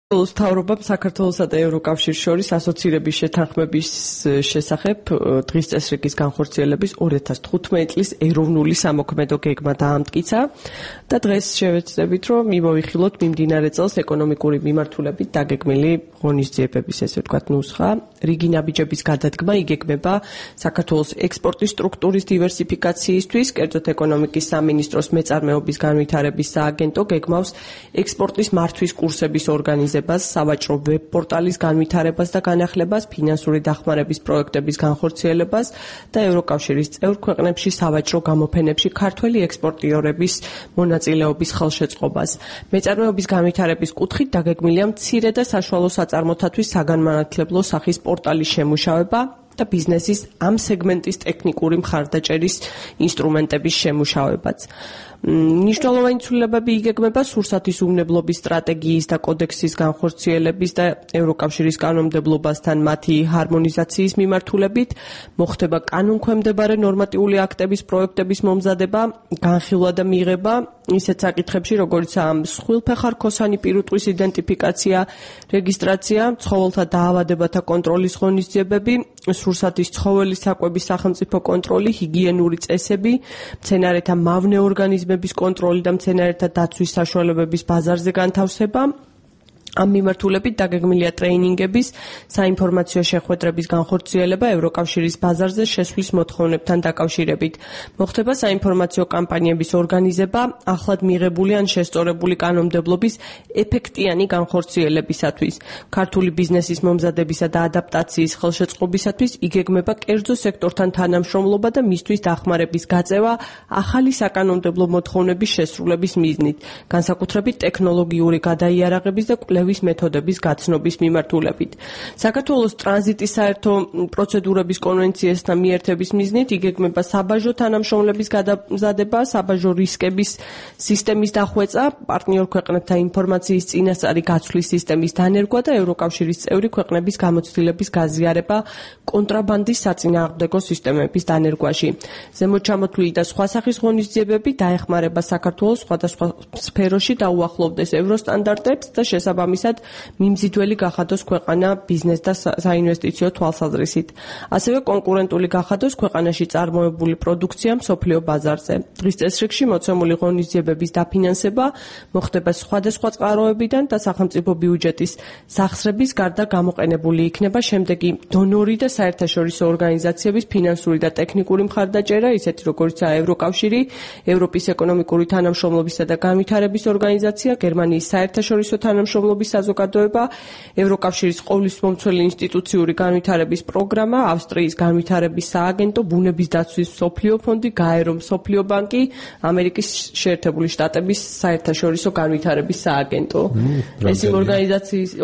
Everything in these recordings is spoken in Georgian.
მთავრობამ საქართველოსა და ევროკავშირის შორის ასოცირების შეთანხმების შესახებ დღის წესრიგის განხორციელების 2015 წლის ეროვნული სამოქმედო გეგმა დაამტკიცა და დღეს შევეცდებით, რომ მივოიხილოთ მიმდინარე წელს ეკონომიკური მიმართულებით დაგეგმილი ღონისძიებების, ესე ვთქვათ, ნუსხა. რიგი ნაბიჯების გადადგმა იგეგმება საქართველოს ექსპორტის სტრუქტურის დივერსიფიკაციისთვის, კერძოდ ეკონომიკის სამინისტროს მეწარმეობის განვითარების სააგენტო გეგმავს ექსპორტის მართვის კურსების ორგანიზებას, სავაჭრო ვებ-პორტალის განვითარებას და განახლებას, ფინანსური დახმარების პროექტების განხორციელებას და ევროკავშირის წევრ ქვეყნებში სავაჭრო გამოფენებში ქართველი ექსპორტიორების მონაწილეობის ხელშეწყობას. მეწარმეობის განვითარების კუთხით დაგეგმილია მცირე და საშუალო საწარმოთათვის საგანმანათლებლო სახის პორტალის შემუშავება და ბიზნესის ამ სეგმენტის ტექნიკური მხარდაჭერის ინსტრუმენტების შემუშავებაც. მნიშვნელოვანი ცვლილებები იგეგმება სურსათის უმნებლობის სტრატეგიის და კოდექსის განხორციელების და ევროკავშირის კანონმდებლობასთან მათი ჰარმონიზაციის მიმართულებით, მოხდება კანონქვემდებარე ნორმატიული აქტების პროექტების მომზადება, განხილვა და მიღება ისეთ საკითხებში, როგორიცაა მსხვილფეხა-რქოსანი პირუტყვის იდენტიფიკაცია, რეგისტრაცია, ცხოველთა დაავადებათა კონტროლის ღონისძიებები, სურსათის ცხოველის საკვების სახელმწიფო კონტროლი, ჰიგიენური წესები, მცენარეთა მავნე ორგანიზმების კონტროლი და მცენარეთა დაცვის საშუალებების ბაზარზე განთავსება. ამ მიმართულებით დაგეგმილია ტრეინინგების, საინფორმაციო შეხვედრების განხორციელება ევროკავშირის ბაზარზე შესვლის მოთხოვნებთან დაკავშირებით. მოხდება საინფორმაციო კამპანიების ორგანიზება, ახლად მიღებული ან შესწორებული კანონმდებლობის ეფექტიანი განხორციელებისათვის. ქართული ბიზნესის მომზადებისა და ადაპტაციის ხელშეწყობისათვის იგეგმება კერძო სექტორთან თანამშრომლობა და მისთვის დახმარების გაწევა ახალი საკანონმდებლო მოთხოვნების შესრულების მიზნით, განსაკუთრებით ტექნოლოგიური გადაიარაღების და კვლევის მეთოდების გაცნობის მიმართულებით. საქართველოს ტრანზიტის საერთო პროცედურების კონვენციასთან მიერთების მიზნით იგეგმება საბაჟო თანამშრომლების გადამზადება, საბაჟო რისკების სისტემის დახვეწა, პარტნიორ ქვეყნებთან ინფორმაციის წინასწარი გაცვლის სისტემის დანერგვა და ევროკავშირის წევრი ქვეყნების გამოცდილების გაზიარება კონტრაბანდის საწინააღმდეგო სისტემების დანერგვაში. ზემოთ ჩამოთვლილი და სხვა სახის ღონისძიებები დაეხმარება საქართველოს სხვადასხვა სფეროში დაუახლოვდეს ევროსტანდარტებს და შესაბამისად მიმზიდველი გახადოს ქვეყანა ბიზნეს და საინვესტიციო თვალსაზრისით. ასევე კონკურენტული გახადოს ქვეყანაში წარმოებული პროდუქცია მსოფლიო ბაზარზე. დღის წესრიგში მოცემული ღონისძიებების დაფინანსება მოხდება სხვადასხვა წყაროებიდან და სახელმწიფო ბიუჯეტის სახსრების გარდა გამოყენებული იქნება შემდეგი დონორი და საერთაშორისო ორგანიზაციების ფინანსური და ტექნიკური მხარდაჭერა, ისეთი როგორიცაა ევროკავშირი, ევროპის ეკონომიკური თანამშრომლობისა და განვითარების ორგანიზაცია, გერმანიის საერთაშორისო თანამშრომლობის საზოგადოება, ევროკავშირის ყოვლისმომცველი ინსტიტუციური განვითარების პროგრამა, ავსტრიის განვითარების სააგენტო, ბუნების დაცვის მსოფლიო ფონდი, გაერო მსოფლიო ბანკი, ამერიკის შეერთებული შტატების საერთაშორისო განვითარების სააგენტო. ეს იმ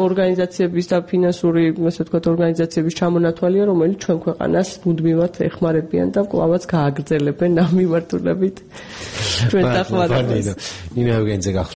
ორგანიზაციების და ფინანსური, ასე ვთქვათ, ორგანიზაციების ჩამონათვალია, რომელიც ჩვენ ქვეყანას მუდმივად ეხმარებიან და კვლავაც გააგრძელებენ ამ მიმართულებით ჩვენ დახმარებას.